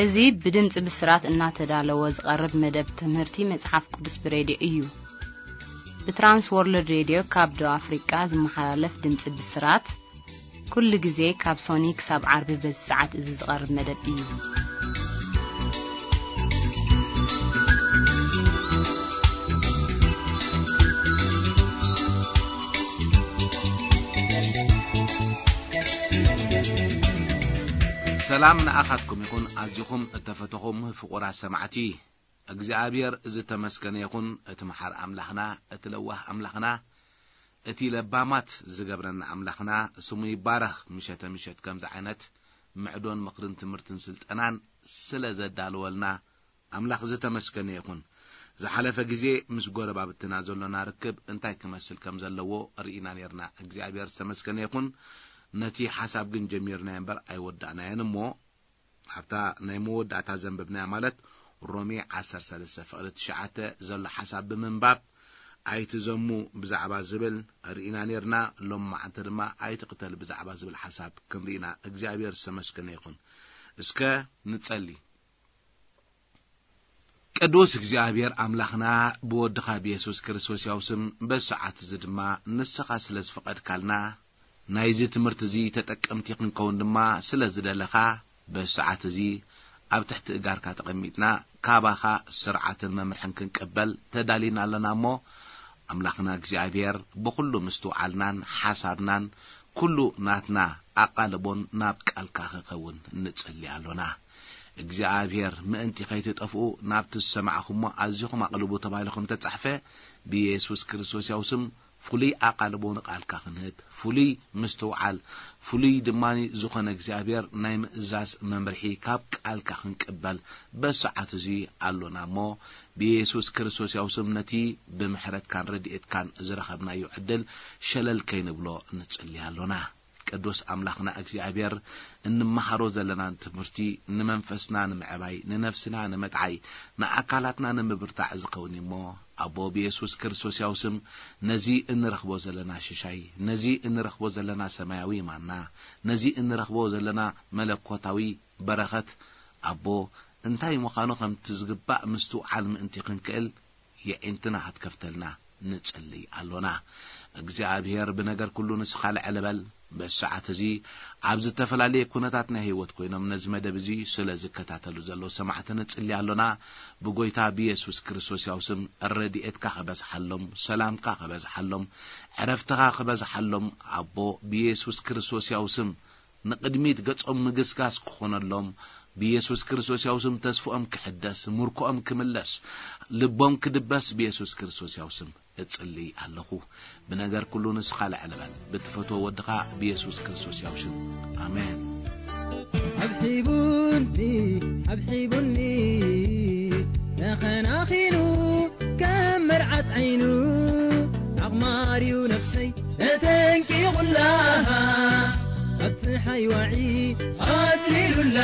እዚ ብድምጺ ብስራት እናተዳለወ ዝቐርብ መደብ ትምህርቲ መጽሓፍ ቅዱስ ብሬድዮ እዩ። ብትራንስ ወርልድ ሬድዮ ካብ ደቡብ ኣፍሪቃ ዝመሓላለፍ ድምጺ ብስራት፣ ኩሉ ግዜ ካብ ሶኒ ክሳብ ዓርቢ በዚ ሰዓት እዚ ዝቐርብ መደብ እዩ። ሰላም ንኣኻትኩም ይኹን፣ ኣዚኹም እተፈተኹም ፍቑራት ሰማዕቲ። እግዚኣብሔር ዝተመስገነ ይኹን፣ እቲ መሓር ኣምላኽና፣ እቲ ለዋህ ኣምላኽና፣ እቲ ለባማት ዝገብረና ኣምላኽና ስሙ ይባረኽ። ምሸተ ምሸት ከምዚ ዓይነት ምዕዶን ምኽርን ትምህርትን ስልጠናን ስለ ዘዳለወልና ኣምላኽ ዝተመስገነ ይኹን። ዝሓለፈ ግዜ ምስ ጎረባብትና ዘሎና ርክብ እንታይ ክመስል ከም ዘለዎ ርኢና ነርና። እግዚኣብሔር ዝተመስገነ ይኹን። ነቲ ሓሳብ ግን ጀሚርናዮ እምበር ኣይወዳእናዮን እሞ፣ ኣብታ ናይ መወዳእታ ዘንበብናያ፣ ማለት ሮሜ ዓሰርተ ሰለስተ ፍቕዲ ትሽዓተ ዘሎ ሓሳብ ብምንባብ፣ ኣይትዘሙ ብዛዕባ ዝብል ርኢና ነርና። ሎማዓንቲ ድማ ኣይትቕተል ብዛዕባ ዝብል ሓሳብ ክንርኢና። እግዚኣብሔር ዝተመስገነ ይኹን። እስከ ንጸሊ። ቅዱስ እግዚኣብሔር ኣምላኽና፣ ብወድኻ ብየሱስ ክርስቶስ ያው ስም በዚ ሰዓት እዚ ድማ ንስኻ ስለ ዝፈቐድካልና፣ ናይዚ ትምህርቲ እዚ ተጠቀምቲ ክንከውን ድማ ስለ ዝደለኻ፣ በዚ ሰዓት እዚ ኣብ ትሕቲ እጋርካ ተቐሚጥና ካባኻ ስርዓትን መምርሕን ክንቅበል ተዳሊና ኣለና እሞ፣ ኣምላኽና እግዚኣብሔር ብኹሉ ምስትውዓልናን ሓሳብናን ኩሉ ናትና ኣቓልቦን ናብ ቃልካ ክኸውን ንጽሊ ኣሎና። እግዚኣብሔር ምእንቲ ከይትጠፍኡ ናብቲ ዝሰማዕኹሞ ኣዚኹም ኣቕልቡ ተባሂሉ ከም ተጻሕፈ፣ ብየሱስ ክርስቶስ ያው ስም ፍሉይ ኣቓልቦ ንቓልካ ክንህብ፣ ፍሉይ ምስትውዓል፣ ፍሉይ ድማ ዝኾነ እግዚኣብሔር ናይ ምእዛዝ መምርሒ ካብ ቃልካ ክንቅበል በሰዓት እዚ ኣሎና እሞ፣ ብየሱስ ክርስቶስ ያው ስም ነቲ ብምሕረትካን ረድኤትካን ዝረኸብናዮ ዕድል ሸለል ከይንብሎ ንጽሊ ኣሎና። ቅዱስ ኣምላኽና እግዚኣብሔር፣ እንመሃሮ ዘለና ትምህርቲ ንመንፈስና ንምዕባይ፣ ንነፍስና ንምጥዓይ፣ ንኣካላትና ንምብርታዕ ዝኸውን እዩ እሞ፣ ኣቦ ብየሱስ ክርስቶስ ያው ስም ነዚ እንረኽቦ ዘለና ሽሻይ፣ ነዚ እንረኽቦ ዘለና ሰማያዊ ማና፣ ነዚ እንረኽቦ ዘለና መለኮታዊ በረኸት፣ ኣቦ እንታይ ምዃኑ ከምቲ ዝግባእ ምስትውዓል ምእንቲ ክንክእል፣ የዒንትና ክትከፍተልና ንጽሊ ኣሎና። እግዚኣብሔር ብነገር ኩሉ ንስኻ ልዕል በል። በዚ ሰዓት እዚ ኣብ ዝተፈላለየ ኩነታት ናይ ህይወት ኮይኖም ነዚ መደብ እዚ ስለ ዝከታተሉ ዘለዉ ሰማዕቲ ንጽሊ ኣሎና። ብጎይታ ብየሱስ ክርስቶስ ያው ስም ረድኤትካ ክበዝሓሎም፣ ሰላምካ ክበዝሓሎም፣ ዕረፍትኻ ክበዝሓሎም፣ ኣቦ ብየሱስ ክርስቶስ ያው ስም ንቕድሚት ገጾም ምግስጋስ ክኾነሎም፣ ብየሱስ ክርስቶስ ያው ስም ተስፍኦም ክሕደስ፣ ምርኮኦም ክምለስ፣ ልቦም ክድበስ ብየሱስ ክርስቶስ ያው ስም እጽሊ ኣለኹ። ብነገር ኩሉ ንስኻ ልዕል በል፣ ብትፈትዎ ወድኻ ብየሱስ ክርስቶስ ያው ሽም። ኣሜን። ኣብሒቡኒ፣ ኣብሒቡኒ፣ ተኸናኺኑ ከም መርዓት ዓይኑ፣ ኣቕማርዩ ነፍሰይ ተጠንቂቑላ፣ ኣብ ጸሓይ ዋዒ ኣጽሊሉላ፣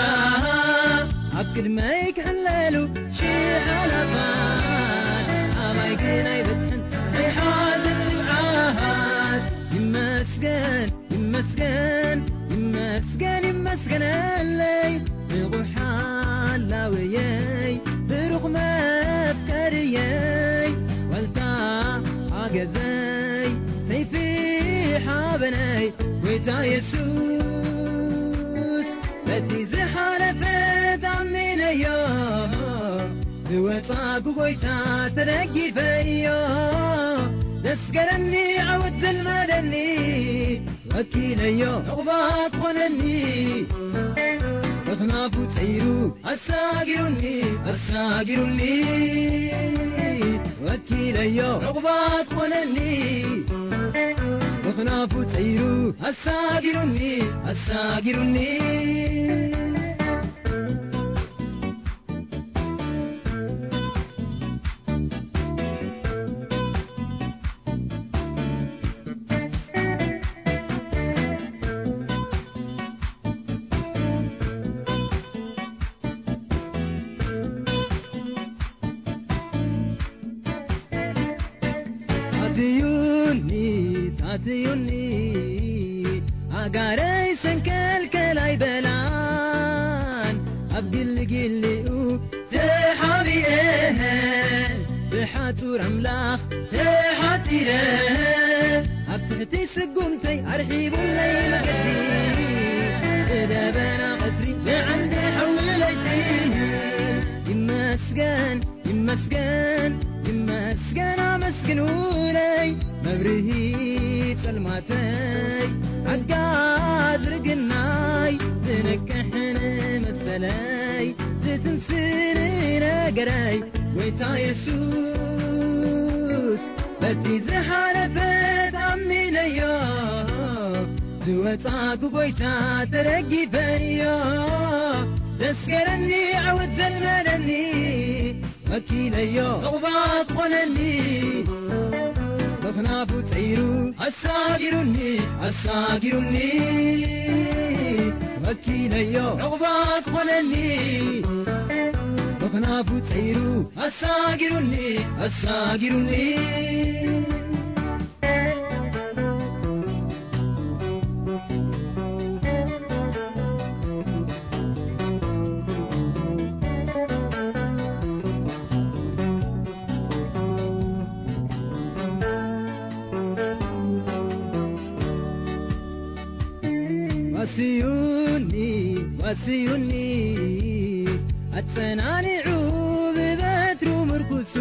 ኣብ ቅድመይ ክሕለሉ ሽሕ ኣላፋት፣ ኣባይ ግን ኣይበጽሕን ናይ ሓዘን ንብዓት። ይመስገን፣ ይመስገን፣ ይመስገን፣ ይመስገነለይ፣ ንቑሕ ሓላወየይ፣ ብሩኽ መፍቀርየይ፣ ዋልታ ሓገዘይ፣ ሰይፊ ሓበነይ፣ ጎይታ የሱስ። በቲ ዝሓለፈ ታሚነዮ፣ ዝወጻ ብጎይታ ተደጊፈዮ። ደስገረኒ፣ ዓወት ዘልመደኒ፣ ወኪለዮ፣ ዕቑባ ክኾነኒ። በኽናፉ ጸይሩ፣ ኣሳጊሩኒ፣ ኣሳጊሩኒ። ወኪለዮ፣ ዕቑባ ክኾነኒ። በኽናፉ ጸይሩ፣ ኣሳጊሩኒ፣ ኣሳጊሩኒ። ታትዩኒ፣ ታትዩኒ፣ ኣጋረይ ሰንከልከል ኣይበላን። ግልግልኡ ተሓቢኤ፣ ብሓጹር ኣምላኽ ተሓጺረ፣ ኣብ ትሕቲ ስጉምተይ ኣርሒቡለይ መገዲ፣ ብደበና ቀትሪ ብዓንዲ ሓዊ ለይቲ። ይመስገን፣ ይመስገን፣ ይመስገን ኣመስግኑለይ። መብርሂ ጸልማተይ፣ ሓጋዝ ርግናይ፣ ዝነቅሕን መሰለይ፣ ዝትንስን ነገረይ፣ ጎይታ የሱስ፣ በቲ ዝሓለፈ ተኣሚነዮ፣ ዝወጻኩ ጎይታ ተደጊፈዮ፣ ዘስገረኒ ዓወት ዘልመደኒ፣ ወኪለዮ ዕቑባት ኾነኒ፣ በኽናፉ ጸይሩ ኣሳጊሩኒ፣ ኣሳጊሩኒ። ወኪለዮ ዕቑባት ኾነኒ፣ በኽናፉ ጸይሩ ኣሳጊሩኒ፣ ኣሳጊሩኒ። ዋስዩኒ፣ ዋስዩኒ፣ ኣጸናኒዑ ብበትሩ ምርኩሱ፣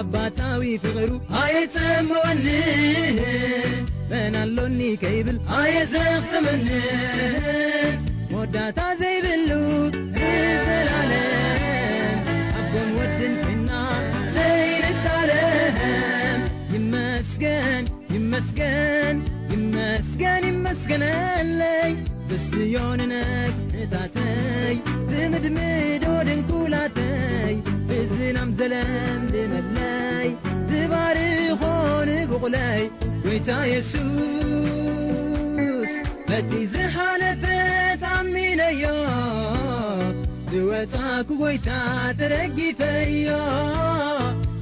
ኣባታዊ ፍቕሩ ኣይጸምወኒ። መን ኣሎኒ ከይብል ኣየዘኽትመኒ። መወዳእታ ዘይብሉ ንዘላለም፣ ኣቦን ወድን ኮይና ዘይንታለም። ይመስገን፣ ይመስገን፣ ይመስገን፣ ይመስገነለይ። ብስዮ ንነግዕታተይ፣ ዝምድምዶ ድንኩላተይ፣ ብዝናም ዘለምልመለይ፣ ዝባርኾ ንቡቕለይ፣ ጎይታ የሱስ። በቲ ዝሓለፈ ተኣሚነዮ፣ ዝወጻኩ ጎይታ ተደጊፈዮ፣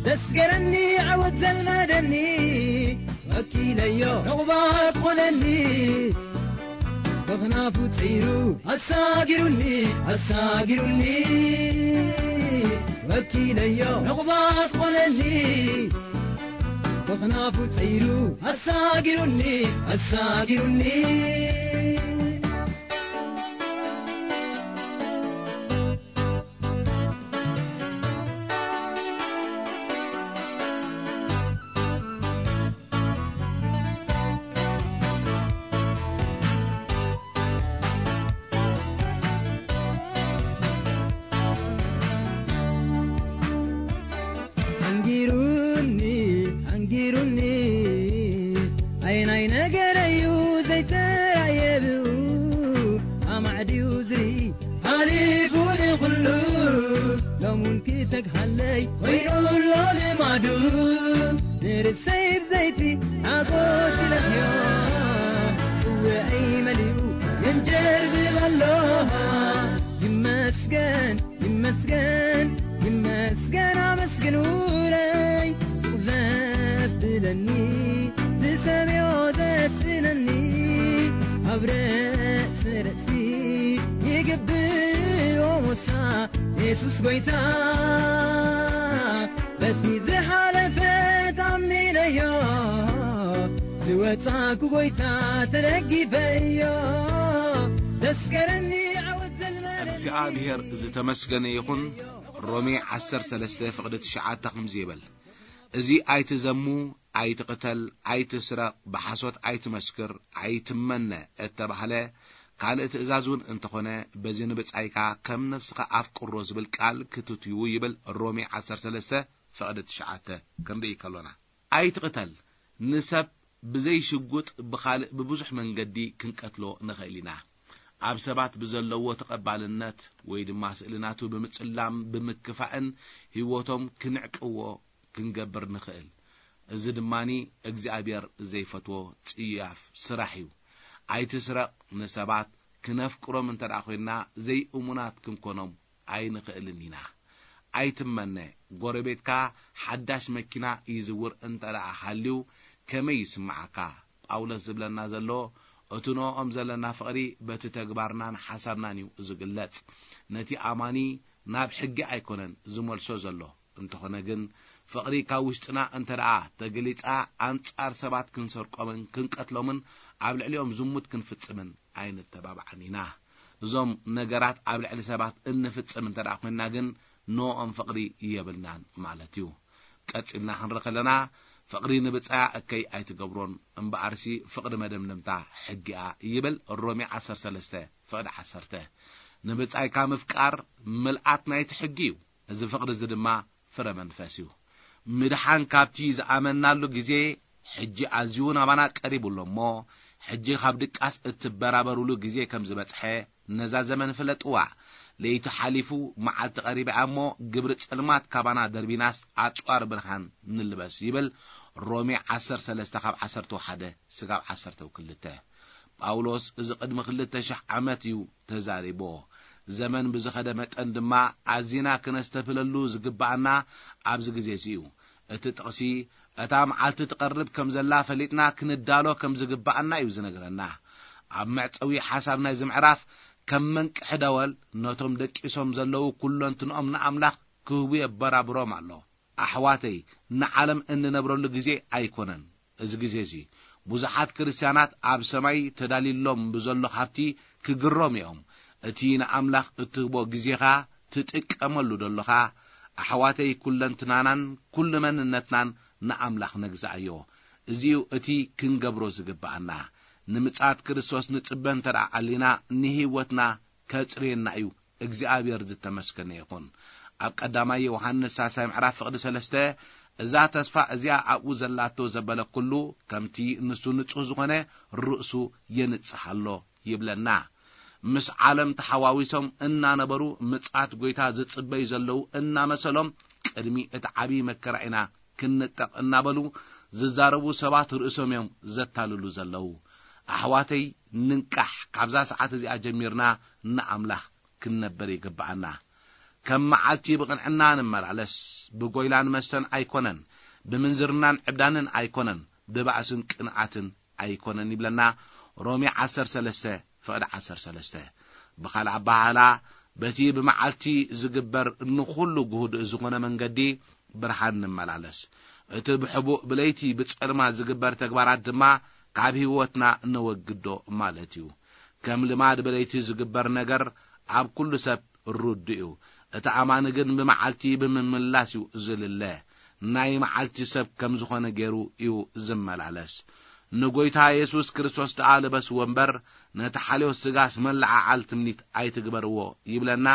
ዘስገረኒ ዓወት ዘልመደኒ፣ ወኪለዮ ዕቑባት ኾነኒ። በኽናፉ ጸይሩ ኣሳጊሩኒ፣ ኣሳጊሩኒ። ወኪለዮ ዕቑባት ኾነኒ። በኽናፉ ጸይሩ ኣሳጊሩኒ፣ ኣሳጊሩኒ። ኣንጊሩኒ፣ ኣንጊሩኒ፣ ኣየናይ ነገረዩ ዘይተራእየ ብኡ፣ ኣማዕድዩ ዝርኢ ሓሊፉ ንኹሉ፣ ሎሙን ክተግሃለይ ኮይኑ ኣሎ ልማዱ። ንርእሰይ ብዘይቲ ሓጎስ ይለኽዮ፣ ጽውዐይ መሊኡ የንጀርብብ ኣሎ። ይመስገን፣ ይመስገን፣ ይመስገን ኣመስግኑለይ። ሱቕ ዘብለኒ፣ ዝሰምዮ ዘስእነኒ፣ ኣብ ርእሲ ርእሲ ይግብኦ ሞሳ፣ የሱስ ጎይታ። በቲ ዝሓለፈ ታሚነዮ፣ ዝወጻኩ ጎይታ ተደጊፈዮ፣ ዘስገረኒ ዓወት ዘልመለኒ። እግዚኣብሔር ዝተመስገነ ይኹን። ሮሜ ዓሰርተ ሰለስተ ፍቕዲ ትሽዓተ ከምዚ ይብል፣ እዚ ኣይትዘሙ፣ ኣይትቕተል፣ ኣይትስረቕ፣ ብሓሶት ኣይትመስክር፣ ኣይትመነ እተባህለ ካልእ ትእዛዝ እውን እንተኾነ፣ በዚ ንብጻይካ ከም ነፍስኻ ኣፍቅሮ ዝብል ቃል ክትትዩ ይብል። ሮሜ ዓሰርተ ሰለስተ ፍቕዲ ትሽዓተ ክንርኢ ከሎና፣ ኣይትቕተል። ንሰብ ብዘይ ሽጉጥ ብኻልእ ብብዙሕ መንገዲ ክንቀትሎ ንኽእል ኢና። ኣብ ሰባት ብዘለዎ ተቐባልነት ወይ ድማ ስእሊ ናቱ ብምጽላም ብምክፋእን ህይወቶም ክንዕቅዎ ክንገብር ንኽእል። እዚ ድማኒ እግዚኣብሔር ዘይፈትዎ ጽያፍ ስራሕ እዩ። ኣይትስረቕ። ንሰባት ክነፍቅሮም እንተ ደኣ ኾይንና ዘይእሙናት ክንኮኖም ኣይንኽእልን ኢና። ኣይትመነ። ጎረቤትካ ሓዳሽ መኪና ይዝውር እንተ ደኣ ሃልዩ ከመይ ይስምዓካ? ጳውሎስ ዝብለና ዘሎ እቲ ንኦም ዘለና ፍቕሪ በቲ ተግባርናን ሓሳብናን እዩ ዝግለጽ። ነቲ ኣማኒ ናብ ሕጊ ኣይኮነን ዝመልሶ ዘሎ። እንተኾነ ግን፣ ፍቕሪ ካብ ውሽጥና እንተ ደኣ ተገሊጻ፣ ኣንጻር ሰባት ክንሰርቆምን ክንቀትሎምን ኣብ ልዕሊኦም ዝሙት ክንፍጽምን ኣይንተባባዕን ኢና። እዞም ነገራት ኣብ ልዕሊ ሰባት እንፍጽም እንተ ደኣ ኮይንና ግን፣ ንኦም ፍቕሪ የብልናን ማለት እዩ። ቀጺልና ክንርኢ ከለና፣ ፍቕሪ ንብጻያ እከይ ኣይትገብሮን፣ እምበኣርሲ ፍቕሪ መደምደምታ ሕጊኣ ይብል ሮሜ ዓሰርተ ሰለስተ ፍቕዲ ዓሰርተ። ንብጻይካ ምፍቃር ምልኣት ናይቲ ሕጊ እዩ። እዚ ፍቕሪ እዚ ድማ ፍረ መንፈስ እዩ። ምድሓን ካብቲ ዝኣመናሉ ግዜ ሕጂ ኣዝዩ ናባና ቀሪቡ ኣሎ እሞ፣ ሕጂ ካብ ድቃስ እትበራበሩሉ ግዜ ከም ዝበጽሐ ነዛ ዘመን ፍለጥዋ። ለይቲ ሓሊፉ፣ መዓልቲ ቀሪባ እሞ፣ ግብሪ ጸልማት ካባና ደርቢናስ ኣጽዋር ብርሃን ንልበስ ይብል ሮሜ ዓሰርተ ሰለስተ ካብ ዓሰርተ ሓደ ስጋብ ዓሰርተ ክልተ። ጳውሎስ እዚ ቅድሚ ክልተ ሽሕ ዓመት እዩ ተዛሪቦ። ዘመን ብዝኸደ መጠን ድማ ኣዚና ክነስተብህለሉ ዝግብኣና ኣብዚ ግዜ እዚ እዩ። እቲ ጥቕሲ፣ እታ መዓልቲ ትቐርብ ከም ዘላ ፈሊጥና ክንዳሎ ከም ዝግብኣና እዩ ዝነግረና። ኣብ መዕጸዊ ሓሳብ ናይዚ ምዕራፍ፣ ከም መንቅሒ ደወል ነቶም ደቂሶም ዘለዉ ኩለንትንኦም ንኣምላኽ ክህቡ የበራብሮም ኣሎ። ኣሕዋተይ፣ ንዓለም እንነብረሉ ግዜ ኣይኮነን። እዚ ግዜ እዚ፣ ብዙሓት ክርስትያናት ኣብ ሰማይ ተዳልዩሎም ብዘሎ ሃብቲ ክግረሙ እዮም። እቲ ንኣምላኽ እትህቦ ግዜኻ ትጥቀመሉ ደለኻ፣ ኣሕዋተይ፣ ኩለንትናናን ኩሉ መንነትናን ንኣምላኽ ነግዝኣዮ። እዚ'ዩ እቲ ክንገብሮ ዝግብኣና። ንምጽኣት ክርስቶስ ንጽበ እንተ ደኣ ኣሊና፣ ንህይወትና ከጽርየና እዩ። እግዚኣብሔር ዝተመስገነ ይኹን። ኣብ ቀዳማይ ዮሃንስ ሳልሳይ ምዕራፍ ፍቕዲ ሰለስተ፣ እዛ ተስፋ እዚኣ ኣብኡ ዘላቶ ዘበለ ኩሉ፣ ከምቲ ንሱ ንጹህ ዝኾነ፣ ርእሱ የንጽህ ኣሎ ይብለና። ምስ ዓለም ተሓዋዊሶም እናነበሩ፣ ምጽኣት ጐይታ ዝጽበዩ ዘለዉ እናመሰሎም፣ ቅድሚ እቲ ዓብዪ መከራ ኢና ክንንጠቕ እናበሉ ዝዛረቡ ሰባት ርእሶም እዮም ዘታልሉ ዘለዉ። ኣሕዋተይ፣ ንንቃሕ። ካብዛ ሰዓት እዚኣ ጀሚርና ንኣምላኽ ክንነብር ይግብኣና። ከም መዓልቲ ብቕንዕና ንመላለስ፣ ብጎይላን መስተን ኣይኮነን፣ ብምንዝርናን ዕብዳንን ኣይኮነን፣ ብባእስን ቅንኣትን ኣይኮነን ይብለና ሮሜ ዓሰርተ ሰለስተ ፍቕዲ ዓሰርተ ሰለስተ። ብኻልእ ኣበሃህላ፣ በቲ ብመዓልቲ ዝግበር ንኹሉ ግሁድ ዝኾነ መንገዲ ብርሃን ንመላለስ። እቲ ብሕቡእ ብለይቲ ብጸልማ ዝግበር ተግባራት ድማ ካብ ህይወትና ነወግዶ ማለት እዩ። ከም ልማድ ብለይቲ ዝግበር ነገር ኣብ ኩሉ ሰብ ርዱእ እዩ። እቲ ኣማኒ ግን ብመዓልቲ ብምምላስ እዩ ዝልለ። ናይ መዓልቲ ሰብ ከም ዝኾነ ገይሩ እዩ ዝመላለስ። ንጎይታ የሱስ ክርስቶስ ደኣ ልበስዎ እምበር፣ ነቲ ሓልዮት ስጋስ መለዓዓል ትምኒት ኣይትግበርዎ ይብለና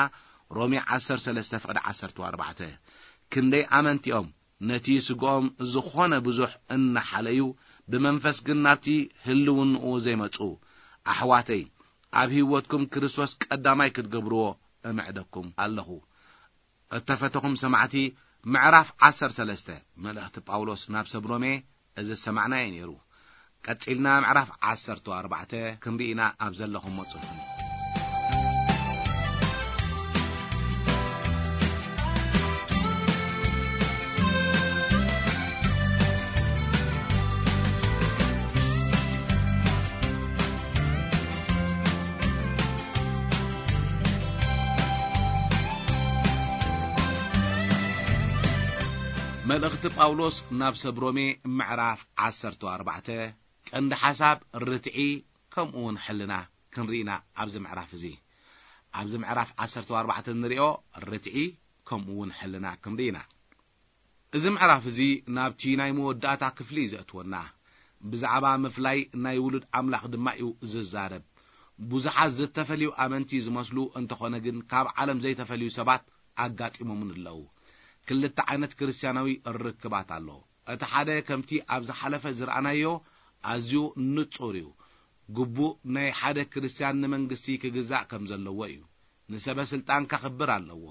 ሮሜ ዓሰርተ ሰለስተ ፍቕዲ ዓሰርተ ኣርባዕተ። ክንደይ ኣመንቲኦም ነቲ ስግኦም ዝኾነ ብዙሕ እናሓለዩ፣ ብመንፈስ ግን ናብቲ ህልውንኡ ዘይመጹ። ኣሕዋተይ፣ ኣብ ህይወትኩም ክርስቶስ ቀዳማይ ክትገብርዎ እምዕደኩም ኣለኹ። እተፈተኹም ሰማዕቲ፣ ምዕራፍ ዓሰርተ ሰለስተ መልእኽቲ ጳውሎስ ናብ ሰብ ሮሜ እዚ ዝሰማዕናዮ ነይሩ። ቀጺልና ምዕራፍ ዓሰርተ ኣርባዕተ ክንርኢ ኢና ኣብ ዘለኹሞ ጽንሑ። መልእኽቲ ጳውሎስ ናብ ሰብ ሮሜ ምዕራፍ ዓሰርተ ኣርባዕተ፣ ቀንዲ ሓሳብ ርትዒ ከምኡ እውን ሕልና ክንርኢ ኢና። ኣብዚ ምዕራፍ እዚ፣ ኣብዚ ምዕራፍ ዓሰርተ ኣርባዕተ እንሪኦ ርትዒ ከምኡ እውን ሕልና ክንርኢ ኢና። እዚ ምዕራፍ እዚ ናብቲ ናይ መወዳእታ ክፍሊ እዩ ዘእትወና። ብዛዕባ ምፍላይ ናይ ውሉድ ኣምላኽ ድማ እዩ ዝዛረብ። ብዙሓት ዝተፈልዩ ኣመንቲ ዝመስሉ እንተኾነ ግን፣ ካብ ዓለም ዘይተፈልዩ ሰባት ኣጋጢሞምን ኣለዉ። ክልተ ዓይነት ክርስትያናዊ ርክባት ኣሎ። እቲ ሓደ ከምቲ ኣብ ዝሓለፈ ዝረኣናዮ ኣዝዩ ንጹር እዩ። ግቡእ ናይ ሓደ ክርስትያን ንመንግስቲ ክግዛእ ከም ዘለዎ እዩ። ንሰበ ስልጣን ከኽብር ኣለዎ።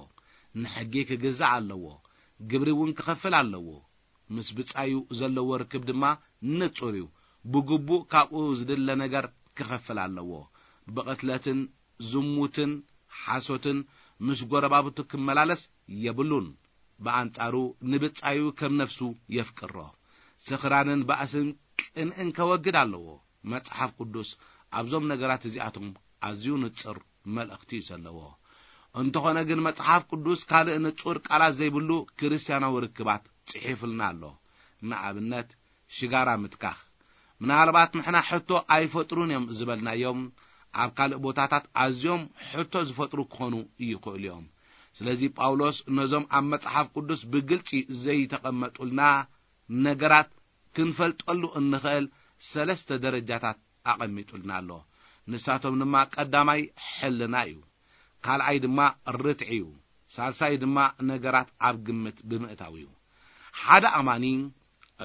ንሕጊ ክግዛእ ኣለዎ። ግብሪ እውን ክኸፍል ኣለዎ። ምስ ብጻዩ ዘለዎ ርክብ ድማ ንጹር እዩ። ብግቡእ ካብኡ ዝድለ ነገር ክኸፍል ኣለዎ። ብቕትለትን ዝሙትን ሓሶትን ምስ ጎረባብቱ ክመላለስ የብሉን። ብኣንጻሩ ንብጻዩ ከም ነፍሱ የፍቅሮ። ስኽራንን ባእስን ቅንእን ከወግድ ኣለዎ። መጽሓፍ ቅዱስ ኣብዞም ነገራት እዚኣቶም ኣዝዩ ንጽር መልእኽቲ እዩ ዘለዎ። እንተኾነ ግን፣ መጽሓፍ ቅዱስ ካልእ ንጹር ቃላት ዘይብሉ ክርስትያናዊ ርክባት ጽሒፍልና ኣሎ። ንኣብነት፣ ሽጋራ ምትካኽ። ምናልባት ንሕና ሕቶ ኣይፈጥሩን እዮም ዝበልናዮም፣ ኣብ ካልእ ቦታታት ኣዝዮም ሕቶ ዝፈጥሩ ክኾኑ ይኽእሉ እዮም። ስለዚ፣ ጳውሎስ ነዞም ኣብ መጽሓፍ ቅዱስ ብግልጺ ዘይተቐመጡልና ነገራት ክንፈልጠሉ እንኽእል ሰለስተ ደረጃታት ኣቐሚጡልና ኣሎ። ንሳቶም ድማ፣ ቀዳማይ ሕልና እዩ፣ ካልኣይ ድማ ርትዒ እዩ፣ ሳልሳይ ድማ ነገራት ኣብ ግምት ብምእታው እዩ። ሓደ ኣማኒ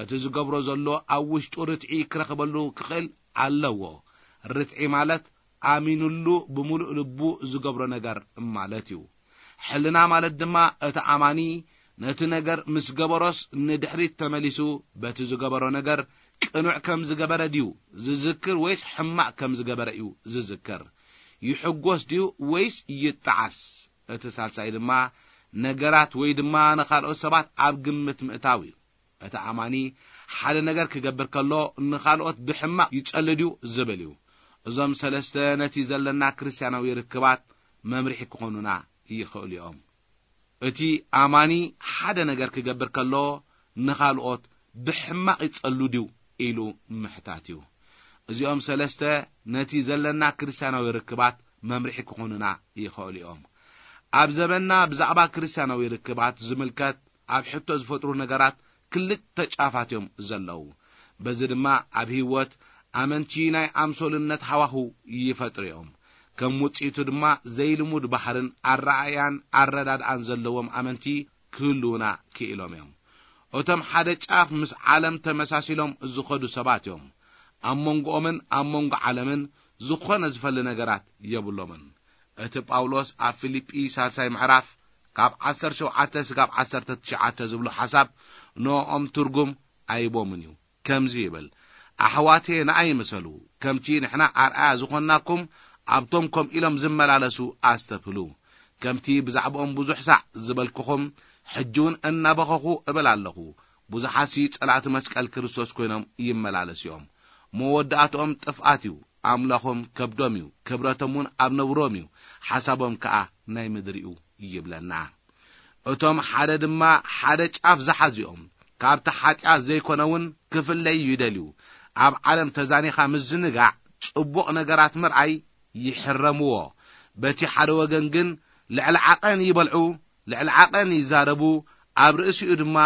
እቲ ዝገብሮ ዘሎ ኣብ ውሽጡ ርትዒ ክረኽበሉ ክኽእል ኣለዎ። ርትዒ ማለት ኣሚኑሉ ብምሉእ ልቡ ዝገብሮ ነገር ማለት እዩ። ሕልና ማለት ድማ እቲ ኣማኒ ነቲ ነገር ምስ ገበሮስ ንድሕሪት ተመሊሱ በቲ ዝገበሮ ነገር ቅኑዕ ከም ዝገበረ ድዩ ዝዝክር ወይስ ሕማቕ ከም ዝገበረ እዩ ዝዝክር? ይሕጎስ ድዩ ወይስ ይጠዓስ? እቲ ሳልሳይ ድማ ነገራት ወይ ድማ ንኻልኦት ሰባት ኣብ ግምት ምእታው እዩ። እቲ ኣማኒ ሓደ ነገር ክገብር ከሎ ንኻልኦት ብሕማቕ ይጸልድ እዩ ዝብል እዩ። እዞም ሰለስተ ነቲ ዘለና ክርስትያናዊ ርክባት መምርሒ ክኾኑና ይኽእሉ እዮም። እቲ ኣማኒ ሓደ ነገር ክገብር ከሎ ንኻልኦት ብሕማቕ ይጸሉ ድዩ ኢሉ ምሕታት እዩ። እዚኦም ሰለስተ ነቲ ዘለና ክርስትያናዊ ርክባት መምርሒ ክኾኑና ይኽእሉ እዮም። ኣብ ዘበንና ብዛዕባ ክርስትያናዊ ርክባት ዝምልከት ኣብ ሕቶ ዝፈጥሩ ነገራት ክልተ ጫፋት እዮም ዘለዉ። በዚ ድማ ኣብ ህይወት ኣመንቲ ናይ ኣምሶልነት ሃዋህው ይፈጥሩ እዮም። ከም ውጽኢቱ ድማ ዘይልሙድ ባህርን ኣረኣእያን ኣረዳድኣን ዘለዎም ኣመንቲ ክህልዉና ክኢሎም እዮም። እቶም ሓደ ጫፍ ምስ ዓለም ተመሳሲሎም ዝኸዱ ሰባት እዮም። ኣብ መንጎኦምን ኣብ መንጎ ዓለምን ዝኾነ ዝፈሊ ነገራት የብሎምን። እቲ ጳውሎስ ኣብ ፊልጲ ሳልሳይ ምዕራፍ ካብ ዓሰርተ ሸውዓተ ስጋብ ዓሰርተ ትሽዓተ ዝብሎ ሓሳብ ንኦም ትርጉም ኣይቦምን እዩ። ከምዚ ይብል፣ ኣሕዋቴ ንኣይ ምሰሉ፣ ከምቲ ንሕና ኣርኣያ ዝኾንናኩም ኣብቶም ከምኡ ኢሎም ዝመላለሱ ኣስተብህሉ። ከምቲ ብዛዕባኦም ብዙሕ ሳዕ ዝበልኩኹም፣ ሕጂ እውን እናበኸኹ እብል ኣለኹ፣ ብዙሓትሲ ጸላእቲ መስቀል ክርስቶስ ኮይኖም ይመላለሱ እዮም። መወዳእትኦም ጥፍኣት እዩ። ኣምላኾም ከብዶም እዩ፣ ክብረቶም እውን ኣብ ነብሮም እዩ፣ ሓሳቦም ከኣ ናይ ምድሪ እዩ ይብለና። እቶም ሓደ ድማ ሓደ ጫፍ ዝሓዙ እዮም። ካብቲ ሓጢኣት ዘይኮነ እውን ክፍለዩ ይደልዩ። ኣብ ዓለም ተዛኒኻ ምዝንጋዕ፣ ጽቡቕ ነገራት ምርኣይ ይሕረምዎ። በቲ ሓደ ወገን ግን ልዕሊ ዓቐን ይበልዑ፣ ልዕሊ ዓቐን ይዛረቡ፣ ኣብ ርእሲኡ ድማ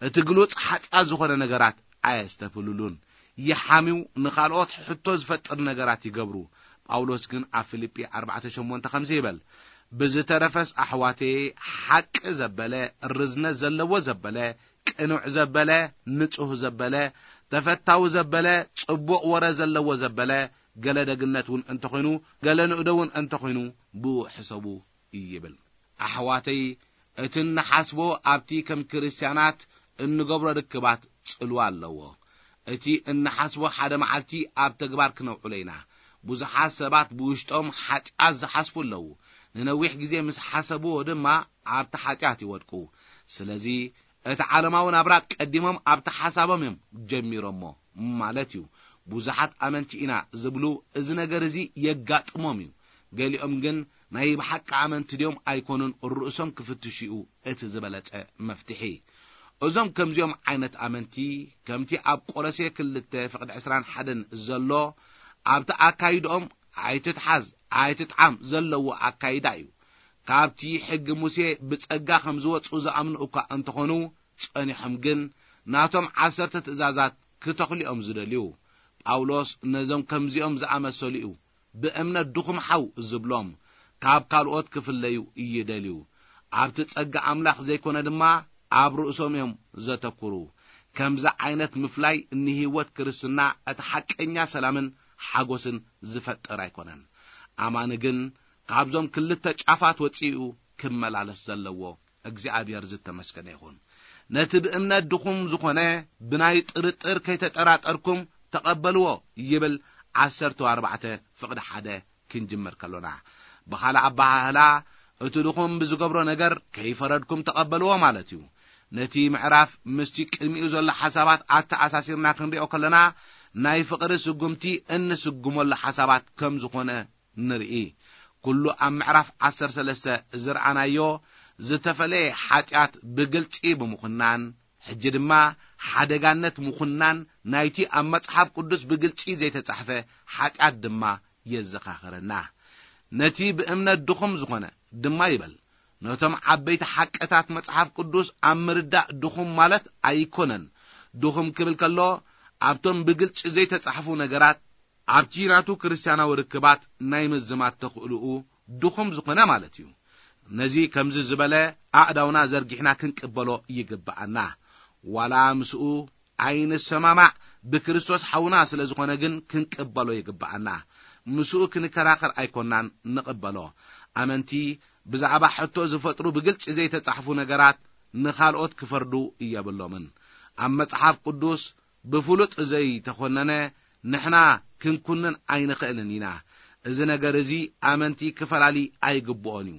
እቲ ግሉጽ ሓጢኣት ዝኾነ ነገራት ኣየስተብህሉሉን። ይሓምዩ፣ ንኻልኦት ሕቶ ዝፈጥር ነገራት ይገብሩ። ጳውሎስ ግን ኣብ ፊልጲ ኣርባዕተ ሸሞንተ ከምዚ ይብል፣ ብዝተረፈስ ኣሕዋተየ፣ ሓቂ ዘበለ፣ ርዝነት ዘለዎ ዘበለ፣ ቅኑዕ ዘበለ፣ ንጹህ ዘበለ፣ ተፈታዊ ዘበለ፣ ጽቡቕ ወረ ዘለዎ ዘበለ፣ ገለ ደግነት እውን እንተኾይኑ፣ ገለ ንእዶ እውን እንተኾይኑ፣ ብኡ ሕሰቡ ይብል። ኣሕዋተይ፣ እቲ እንሓስቦ ኣብቲ ከም ክርስትያናት እንገብሮ ርክባት ጽልዋ ኣለዎ። እቲ እንሓስቦ ሓደ መዓልቲ ኣብ ተግባር ክነውዕሎ ኢና። ብዙሓት ሰባት ብውሽጦም ሓጢኣት ዝሓስቡ ኣለዉ። ንነዊሕ ግዜ ምስ ሓሰብዎ ድማ ኣብቲ ሓጢኣት ይወድቁ። ስለዚ እቲ ዓለማዊ ናብራ ቀዲሞም ኣብቲ ሓሳቦም እዮም ጀሚሮሞ ማለት እዩ። ብዙሓት ኣመንቲ ኢና ዝብሉ እዚ ነገር እዚ የጋጥሞም እዩ። ገሊኦም ግን ናይ ብሓቂ ኣመንቲ ድዮም ኣይኮኑን ርእሶም ክፍትሹ እዩ እቲ ዝበለጸ መፍትሒ። እዞም ከምዚኦም ዓይነት ኣመንቲ ከምቲ ኣብ ቆሎሴ ክልተ ፍቕዲ ዕስራን ሓደን ዘሎ ኣብቲ ኣካይድኦም ኣይትትሓዝ ኣይትጥዓም ዘለዎ ኣካይዳ እዩ። ካብቲ ሕጊ ሙሴ ብጸጋ ከም ዝወጹ ዝኣምኑ እኳ እንተኾኑ ጸኒሖም ግን ናቶም ዓሰርተ ትእዛዛት ክተኽልኦም ዝደልዩ። ጳውሎስ ነዞም ከምዚኦም ዝኣመሰሉ እዩ ብእምነት ድኹም ሓው ዝብሎም። ካብ ካልኦት ክፍለዩ ይደልዩ። ኣብቲ ጸጋ ኣምላኽ ዘይኮነ ድማ ኣብ ርእሶም እዮም ዘተኩሩ። ከምዚ ዓይነት ምፍላይ ንህይወት ክርስትና እቲ ሓቀኛ ሰላምን ሓጎስን ዝፈጥር ኣይኮነን። ኣማኒ ግን ካብዞም ክልተ ጫፋት ወጺኡ ክመላለስ ዘለዎ። እግዚኣብሔር ዝተመስገነ ይኹን። ነቲ ብእምነት ድኹም ዝኾነ ብናይ ጥርጥር ከይተጠራጠርኩም ተቐበልዎ ይብል። ዓሰርተ ኣርባዕተ ፍቕዲ ሓደ ክንጅምር ከሎና፣ ብኻልእ ኣበሃህላ እቲ ድኹም ብዝገብሮ ነገር ከይፈረድኩም ተቐበልዎ ማለት እዩ። ነቲ ምዕራፍ ምስቲ ቅድሚኡ ዘሎ ሓሳባት ኣተኣሳሲርና ክንሪኦ ከለና፣ ናይ ፍቕሪ ስጉምቲ እንስጉመሉ ሓሳባት ከም ዝኾነ ንርኢ። ኩሉ ኣብ ምዕራፍ ዓሰርተ ሰለስተ ዝረኣናዮ ዝተፈለየ ሓጢኣት ብግልጺ ብምኹናን፣ ሕጂ ድማ ሓደጋነት ምኹናን ናይቲ ኣብ መጽሓፍ ቅዱስ ብግልጺ ዘይተጻሕፈ ሓጢኣት ድማ የዘኻኽረና። ነቲ ብእምነት ድኹም ዝኾነ ድማ ይበል። ነቶም ዓበይቲ ሓቅታት መጽሓፍ ቅዱስ ኣብ ምርዳእ ድኹም ማለት ኣይኮነን። ድኹም ክብል ከሎ፣ ኣብቶም ብግልጺ ዘይተጻሕፉ ነገራት፣ ኣብቲ ናቱ ክርስትያናዊ ርክባት ናይ ምዝማት ተኽእልኡ ድኹም ዝኾነ ማለት እዩ። ነዚ ከምዚ ዝበለ ኣእዳውና ዘርጊሕና ክንቅበሎ ይግብኣና። ዋላ ምስኡ ኣይንሰማማዕ፣ ብክርስቶስ ሓውና ስለ ዝኾነ ግን ክንቅበሎ ይግብኣና። ምስኡ ክንከራኸር ኣይኮናን ንቕበሎ። ኣመንቲ ብዛዕባ ሕቶ ዝፈጥሩ ብግልጺ ዘይተጻሕፉ ነገራት ንኻልኦት ክፈርዱ የብሎምን። ኣብ መጽሓፍ ቅዱስ ብፍሉጥ ዘይተኾነነ ንሕና ክንኩንን ኣይንኽእልን ኢና። እዚ ነገር እዚ ኣመንቲ ክፈላሊ ኣይግብኦን እዩ።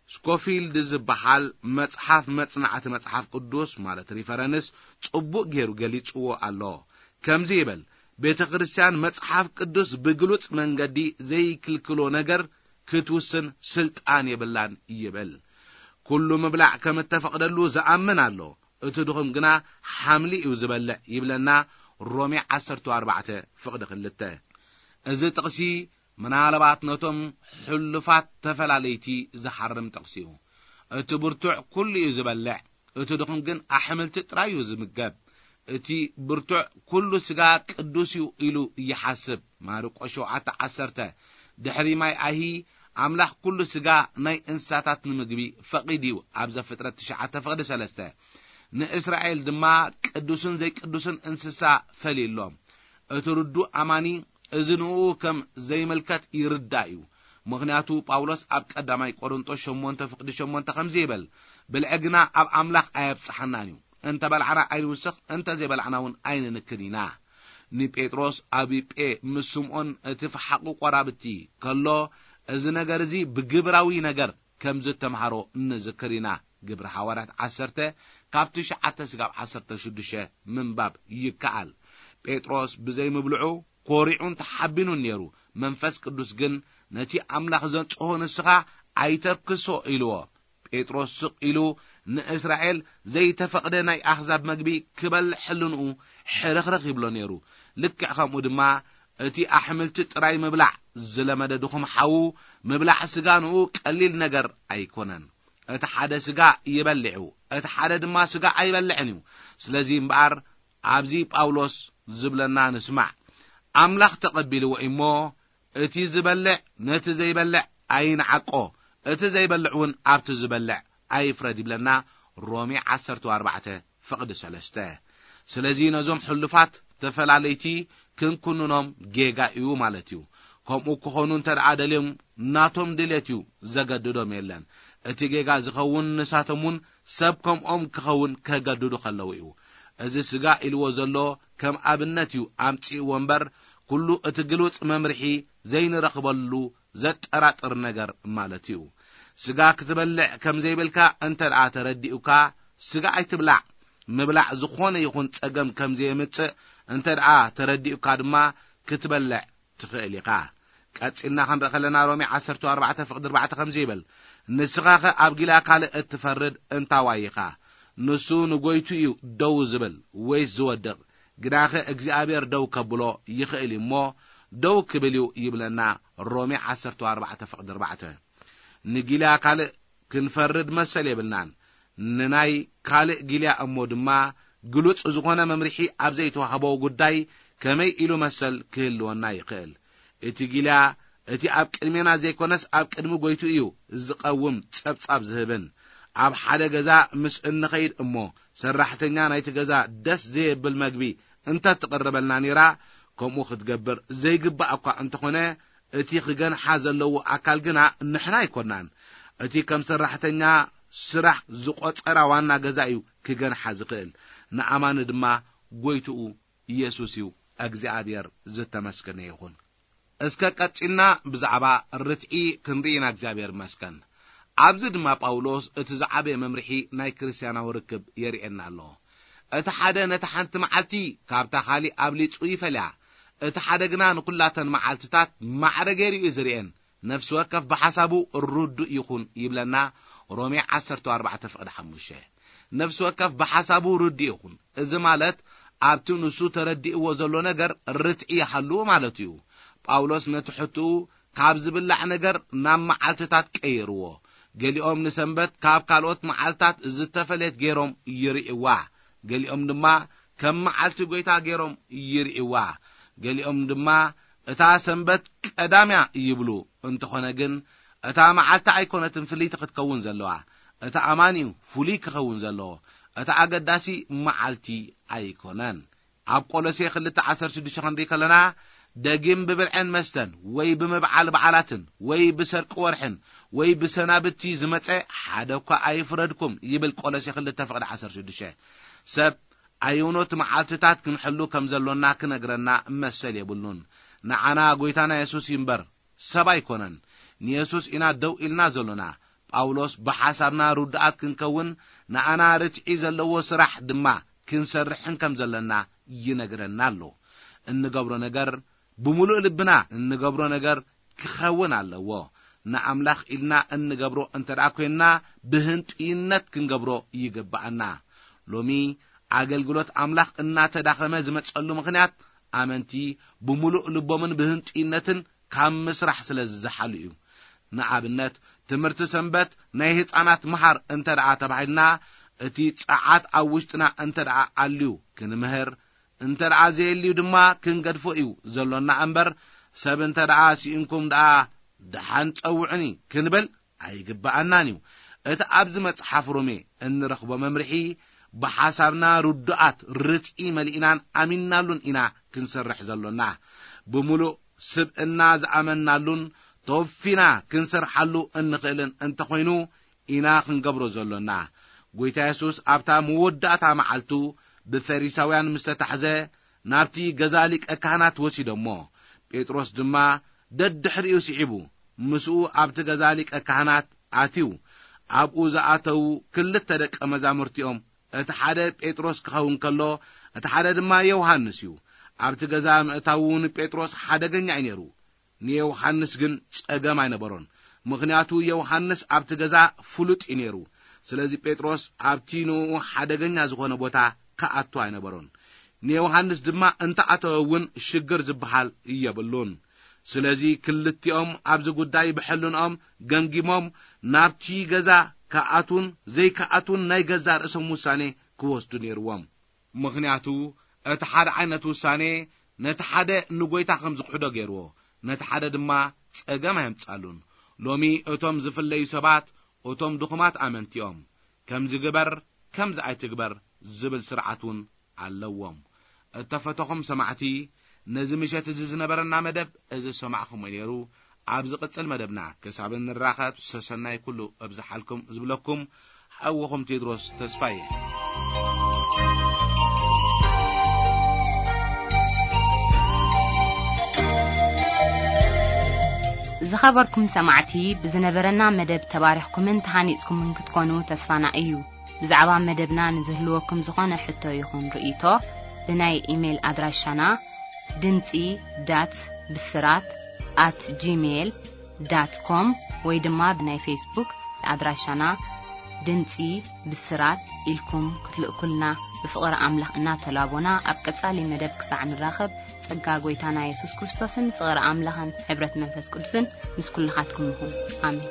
ስኮፊልድ ዝበሃል መጽሓፍ መጽናዕቲ መጽሓፍ ቅዱስ፣ ማለት ሪፈረንስ፣ ጽቡቕ ገይሩ ገሊጽዎ ኣሎ። ከምዚ ይብል፣ ቤተ ክርስቲያን መጽሓፍ ቅዱስ ብግሉጽ መንገዲ ዘይክልክሎ ነገር ክትውስን ስልጣን የብላን ይብል። ኩሉ ምብላዕ ከም እተፈቕደሉ ዝኣምን ኣሎ፣ እቲ ድኹም ግና ሓምሊ እዩ ዝበልዕ ይብለና ሮሜ ዓሰርተ ኣርባዕተ ፍቕዲ ክልተ። እዚ ጥቕሲ ምናልባት ነቶም ሕሉፋት ተፈላለይቲ ዝሓርም ጥቕሲ እዩ። እቲ ብርቱዕ ኩሉ እዩ ዝበልዕ፣ እቲ ድኹም ግን ኣሕምልቲ ጥራይ እዩ ዝምገብ። እቲ ብርቱዕ ኩሉ ስጋ ቅዱስ እዩ ኢሉ ይሓስብ። ማርቆስ ሸውዓተ ዓሰርተ። ድሕሪ ማይ ኣሂ ኣምላኽ ኩሉ ስጋ ናይ እንስሳታት ንምግቢ ፈቒዱ እዩ፣ ኣብ ዘፍጥረት ትሽዓተ ፍቕዲ ሰለስተ። ንእስራኤል ድማ ቅዱስን ዘይቅዱስን እንስሳ ፈሊሎም። እቲ ርዱእ ኣማኒ እዚ ንኡ ከም ዘይምልከት ይርዳእ እዩ። ምኽንያቱ ጳውሎስ ኣብ ቀዳማይ ቆሮንጦስ ሸሞንተ ፍቕዲ ሸሞንተ ከምዚ ይብል፣ "ብልዒ ግና ኣብ ኣምላኽ ኣየብጽሓናን እዩ። እንተ በላዕና ኣይንውስኽ፣ እንተ ዘይበላዕና እውን ኣይንንክን ኢና።" ንጴጥሮስ ኣብ ዮጴ ምስ ስምዖን እቲ ፈሓቑ ቆራብቲ ከሎ፣ እዚ ነገር እዚ ብግብራዊ ነገር ከም ዝተምሃሮ ንዝክር ኢና። ግብሪ ሃዋርያት ዓሰርተ ካብ ትሽዓተ ስጋብ ዓሰርተ ሽዱሽተ ምንባብ ይከኣል። ጴጥሮስ ብዘይ ምብልዑ ኮሪዑን ተሓቢኑን ነይሩ። መንፈስ ቅዱስ ግን ነቲ ኣምላኽ ዘንጽሆ ንስኻ ኣይተርክሶ ኢልዎ። ጴጥሮስ ስቕ ኢሉ ንእስራኤል ዘይተፈቕደ ናይ ኣህዛብ መግቢ ክበልዕ ሕልንኡ ሕርኽርኽ ይብሎ ነይሩ። ልክዕ ከምኡ ድማ እቲ ኣሕምልቲ ጥራይ ምብላዕ ዝለመደ ድኹም ሓዉ ምብላዕ ስጋ ንኡ ቀሊል ነገር ኣይኮነን። እቲ ሓደ ስጋ ይበልዕ እዩ፣ እቲ ሓደ ድማ ስጋ ኣይበልዕን እዩ። ስለዚ እምበኣር ኣብዚ ጳውሎስ ዝብለና ንስማዕ። ኣምላኽ ተቐቢልዎ እሞ እቲ ዝበልዕ ነቲ ዘይበልዕ ኣይንዓቆ፣ እቲ ዘይበልዕ እውን ኣብቲ ዝበልዕ ኣይፍረድ ይብለና ሮሜ ዓሰርተ ኣርባዕተ ፍቕዲ ሰለስተ። ስለዚ ነዞም ሕሉፋት ተፈላለይቲ ክንኩንኖም ጌጋ እዩ ማለት እዩ። ከምኡ ክኾኑ እንተ ደኣ ደልዮም ናቶም ድሌት እዩ፣ ዘገድዶም የለን። እቲ ጌጋ ዝኸውን ንሳቶም እውን ሰብ ከምኦም ክኸውን ከገድዱ ከለዉ እዩ። እዚ ስጋ ኢልዎ ዘሎ ከም ኣብነት እዩ ኣምጺእዎ እምበር፣ ኩሉ እቲ ግሉጽ መምርሒ ዘይንረኽበሉ ዘጠራጥር ነገር ማለት እዩ። ስጋ ክትበልዕ ከም ዘይብልካ እንተ ደኣ ተረዲኡካ፣ ስጋ ኣይትብላዕ። ምብላዕ ዝኾነ ይኹን ጸገም ከም ዘየምጽእ እንተ ደኣ ተረዲኡካ ድማ፣ ክትበልዕ ትኽእል ኢኻ። ቀጺልና ክንርኢ ከለና፣ ሮሜ ዓሰርተ ኣርባዕተ ፍቕዲ ኣርባዕተ ከምዚ ይብል፣ "ንስኻኸ ኣብ ጊልያ ካልእ እትፈርድ እንታዋይ ኢኻ? ንሱ ንጎይቱ እዩ ደው ዝብል ወይስ ዝወድቕ? ግናኸ እግዚኣብሔር ደው ከብሎ ይኽእል እዩ እሞ፣ ደው ክብል እዩ" ይብለና ሮሜ ዓሰርተ ኣርባዕተ ፍቕዲ ኣርባዕተ። ንጊልያ ካልእ ክንፈርድ መሰል የብልናን። ንናይ ካልእ ጊልያ እሞ ድማ ግሉጽ ዝኾነ መምርሒ ኣብ ዘይተዋህቦ ጉዳይ ከመይ ኢሉ መሰል ክህልወና ይኽእል? እቲ ጊልያ እቲ ኣብ ቅድሜና ዘይኮነስ ኣብ ቅድሚ ጎይቱ እዩ ዝቐውም ጸብጻብ ዝህብን። ኣብ ሓደ ገዛ ምስ እንኸይድ እሞ ሰራሕተኛ ናይቲ ገዛ ደስ ዘየብል መግቢ እንተ ትቕርበልና ነይራ፣ ከምኡ ክትገብር ዘይግባእ እኳ እንተኾነ፣ እቲ ክገንሓ ዘለዎ ኣካል ግና ንሕና ኣይኮናን። እቲ ከም ሰራሕተኛ ስራሕ ዝቖጸራ ዋና ገዛ እዩ ክገንሓ ዝኽእል። ንኣማኒ ድማ ጎይትኡ ኢየሱስ እዩ። እግዚኣብሔር ዝተመስገነ ይኹን። እስከ ቀጺልና ብዛዕባ ርትዒ ክንርኢ ኢና። እግዚኣብሔር ይመስገን። ኣብዚ ድማ ጳውሎስ እቲ ዝዓበየ መምርሒ ናይ ክርስትያናዊ ርክብ የርእየና ኣሎ። እቲ ሓደ ነታ ሓንቲ መዓልቲ ካብታ ካልእ ኣብሊጹ ይፈልያ። እቲ ሓደ ግና ንኩላተን መዓልትታት ማዕረ ገይሩ እዩ ዝርእየን። ነፍሲ ወከፍ ብሓሳቡ ርዱእ ይኹን ይብለና ሮሜ ዓሰርተ ኣርባዕተ ፍቕዲ ሓሙሽተ። ነፍሲ ወከፍ ብሓሳቡ ርዱእ ይኹን። እዚ ማለት ኣብቲ ንሱ ተረዲእዎ ዘሎ ነገር ርትዒ ይሃልዎ ማለት እዩ። ጳውሎስ ነቲ ሕትኡ ካብ ዝብላዕ ነገር ናብ መዓልትታት ቀይርዎ። ገሊኦም ንሰንበት ካብ ካልኦት መዓልትታት ዝተፈለየት ገይሮም ይርእይዋ። ገሊኦም ድማ ከም መዓልቲ ጎይታ ገይሮም ይርእይዋ። ገሊኦም ድማ እታ ሰንበት ቀዳምያ ይብሉ። እንተኾነ ግን እታ መዓልቲ ኣይኮነትን ፍልይቲ ክትከውን ዘለዋ። እቲ ኣማኒ እዩ ፍሉይ ክኸውን ዘለዎ። እቲ ኣገዳሲ መዓልቲ ኣይኮነን። ኣብ ቆሎሴ ክልተ ዓሰርተ ሽዱሽተ ክንርኢ ከለና፣ ደጊም ብብልዕን መስተን ወይ ብምብዓል በዓላትን ወይ ብሰርቂ ወርሕን ወይ ብሰናብቲ ዝመጸ ሓደ እኳ ኣይፍረድኩም ይብል። ቆሎሴ ክልተ ፍቕዲ ዓሰርተ ሽዱሽተ። ሰብ ኣየኖት መዓልትታት ክንሕሉ ከም ዘሎና ክነግረና መሰል የብሉን። ንዓና ጎይታና የሱስ ይንበር፣ ሰብ ኣይኮነን። ንየሱስ ኢና ደው ኢልና ዘሎና። ጳውሎስ ብሓሳብና ርዱኣት ክንከውን ንኣና ርትዒ ዘለዎ ስራሕ ድማ ክንሰርሕን ከም ዘለና ይነግረና ኣሎ። እንገብሮ ነገር ብምሉእ ልብና እንገብሮ ነገር ክኸውን ኣለዎ። ንኣምላኽ ኢልና እንገብሮ እንተ ደኣ ኮይንና ብህንጡይነት ክንገብሮ ይግብኣና። ሎሚ ኣገልግሎት ኣምላኽ እናተዳኸመ ዝመጸሉ ምኽንያት ኣመንቲ ብምሉእ ልቦምን ብህንጡይነትን ካብ ምስራሕ ስለ ዝዘሓሉ እዩ። ንኣብነት ትምህርቲ ሰንበት ናይ ህፃናት ምሃር እንተ ደኣ ተባሂልና እቲ ጸዓት ኣብ ውሽጥና እንተ ደኣ ኣልዩ ክንምህር፣ እንተ ደኣ ዘየልዩ ድማ ክንገድፎ እዩ ዘሎና እምበር፣ ሰብ እንተ ደኣ ስኢንኩም ደኣ ደሓን ጸውዑኒ ክንብል ኣይግብኣናን እዩ። እቲ ኣብዚ መጽሓፍ ሮሜ እንረኽቦ መምርሒ ብሓሳብና ርዱኣት ርትዒ መሊእናን ኣሚንናሉን ኢና ክንሰርሕ ዘሎና። ብምሉእ ስብእና ዝኣመንናሉን ተወፊና ክንሰርሓሉ እንኽእልን እንተኾይኑ ኢና ክንገብሮ ዘሎና። ጎይታ የሱስ ኣብታ መወዳእታ መዓልቱ ብፈሪሳውያን ምስ ተታሕዘ ናብቲ ገዛ ሊቀ ካህናት ወሲዶሞ። ጴጥሮስ ድማ ደድሕሪኡ ስዒቡ ምስኡ ኣብቲ ገዛ ሊቀ ካህናት ኣትዩ። ኣብኡ ዝኣተዉ ክልተ ደቀ መዛሙርቲኦም፣ እቲ ሓደ ጴጥሮስ ክኸውን ከሎ፣ እቲ ሓደ ድማ ዮሃንስ እዩ። ኣብቲ ገዛ ምእታዉ ንጴጥሮስ ሓደገኛ እዩ ነይሩ። ንዮሃንስ ግን ጸገም ኣይነበሮን። ምኽንያቱ ዮሃንስ ኣብቲ ገዛ ፍሉጥ እዩ ነይሩ። ስለዚ ጴጥሮስ ኣብቲ ንኡ ሓደገኛ ዝኾነ ቦታ ክኣቱ ኣይነበሮን። ንዮሃንስ ድማ እንተኣተወ እውን ሽግር ዝበሃል የብሉን። ስለዚ ክልቲኦም ኣብዚ ጉዳይ ብሕልንኦም ገምጊሞም ናብቲ ገዛ ክኣቱን ዘይክኣቱን ናይ ገዛ ርእሶም ውሳኔ ክወስዱ ነይርዎም። ምኽንያቱ እቲ ሓደ ዓይነት ውሳኔ ነቲ ሓደ ንጎይታ ከም ዝኽሕዶ ገይርዎ፣ ነቲ ሓደ ድማ ጸገም ኣየምጻሉን። ሎሚ እቶም ዝፍለዩ ሰባት እቶም ድኹማት ኣመንቲኦም። ከምዚ ግበር፣ ከምዚ ኣይትግበር ዝብል ስርዓት እውን ኣለዎም። እተፈተኹም ሰማዕቲ፣ ነዚ ምሸት እዚ ዝነበረና መደብ እዚ ዝሰማዕኹምዎ ነይሩ። ኣብ ዝቕጽል መደብና ክሳብ እንራኸብ ሰሰናይ ኩሉ እብዝሓልኩም ዝብለኩም ሓውኹም ቴድሮስ ተስፋየ። ዝኸበርኩም ሰማዕቲ፣ ብዝነበረና መደብ ተባሪኽኩምን ተሃኒጽኩምን ክትኮኑ ተስፋና እዩ። ብዛዕባ መደብና ንዝህልወኩም ዝኾነ ሕቶ ይኹን ርእይቶ፣ ብናይ ኢሜይል ኣድራሻና ድምጺ ዳት ብስራት ኣት ጂሜይል ዳት ኮም ወይ ድማ ብናይ ፌስቡክ ኣድራሻና ድምጺ ብስራት ኢልኩም ክትልእኩልና ብፍቕሪ ኣምላኽ እናተላቦና፣ ኣብ ቀጻሊ መደብ ክሳዕ ንራኸብ፣ ጸጋ ጎይታና የሱስ ክርስቶስን ፍቕሪ ኣምላኽን ሕብረት መንፈስ ቅዱስን ምስ ኩልኻትኩም ይኹን። ኣሜን።